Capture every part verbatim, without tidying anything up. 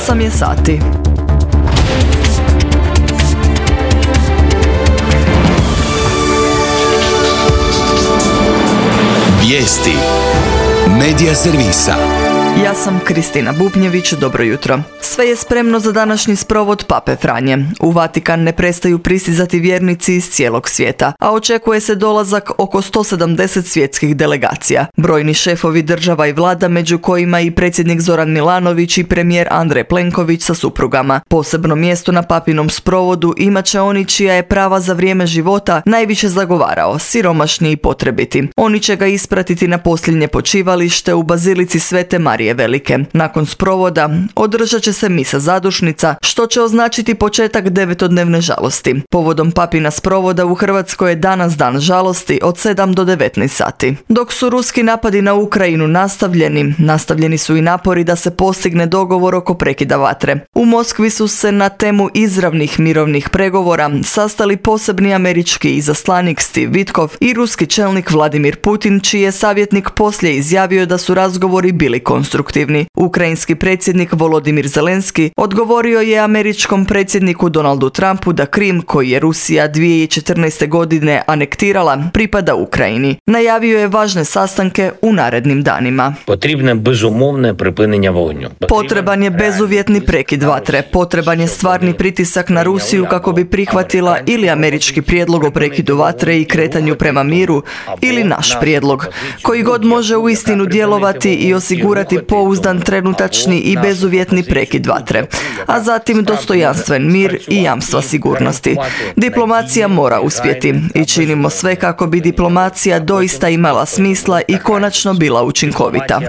osam je sati. Vijesti Medija servisa. Ja sam Kristina Bubnjević, dobro jutro. Sve je spremno za današnji sprovod Pape Franje. U Vatikan ne prestaju pristizati vjernici iz cijelog svijeta, a očekuje se dolazak oko sto sedamdeset svjetskih delegacija. Brojni šefovi država i vlada, među kojima i predsjednik Zoran Milanović i premijer Andrej Plenković sa suprugama. Posebno mjesto na papinom sprovodu imat će oni čija je prava za vrijeme života najviše zagovarao, siromašni i potrebiti. Oni će ga ispratiti na posljednje počivalište u Bazilici Svete Marije Velike. Nakon sprovoda održat će se misa zadušnica, što će označiti početak devetodnevne žalosti. Povodom papina sprovoda u Hrvatskoj je danas dan žalosti od sedam do devetnaest sati. Dok su ruski napadi na Ukrajinu nastavljeni, nastavljeni su i napori da se postigne dogovor oko prekida vatre. U Moskvi su se na temu izravnih mirovnih pregovora sastali posebni američki izaslanik Steve Witkoff i ruski čelnik Vladimir Putin, čiji je savjetnik poslije izjavio da su razgovori bili konstruktivni. Ukrajinski predsjednik Volodimir Zelenski odgovorio je američkom predsjedniku Donaldu Trumpu da Krim, koji je Rusija dvije tisuće četrnaeste. godine anektirala, pripada Ukrajini. Najavio je važne sastanke u narednim danima. Potreban je bezuvjetni prekid vatre. Potreban je stvarni pritisak na Rusiju kako bi prihvatila ili američki prijedlog o prekidu vatre i kretanju prema miru, ili naš prijedlog, koji god može uistinu djelovati i osigurati pouzdan trenutačni i bezuvjetni prekid vatre, a zatim dostojanstven mir i jamstva sigurnosti. Diplomacija mora uspjeti i činimo sve kako bi diplomacija doista imala smisla i konačno bila učinkovita.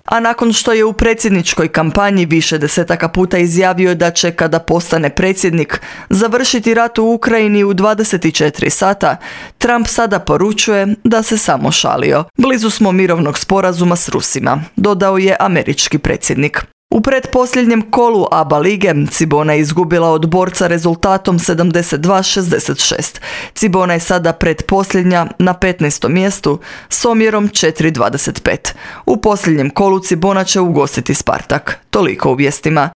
A nakon što je u predsjedničkoj kampanji više desetaka puta izjavio da će, kada postane predsjednik, završiti rat u Ukrajini u dvadeset četiri sata, Trump sada poručuje da se samo šalio. Blizu smo mirovnog sporazuma s Rusima, dodao je američki predsjednik. U pretposljednjem kolu A B A lige Cibona je izgubila od Borca rezultatom sedamdeset dva šezdeset šest. Cibona je sada pretposljednja na petnaestom mjestu s omjerom četiri dvadeset pet. U posljednjem kolu Cibona će ugostiti Spartak. Toliko u vijestima.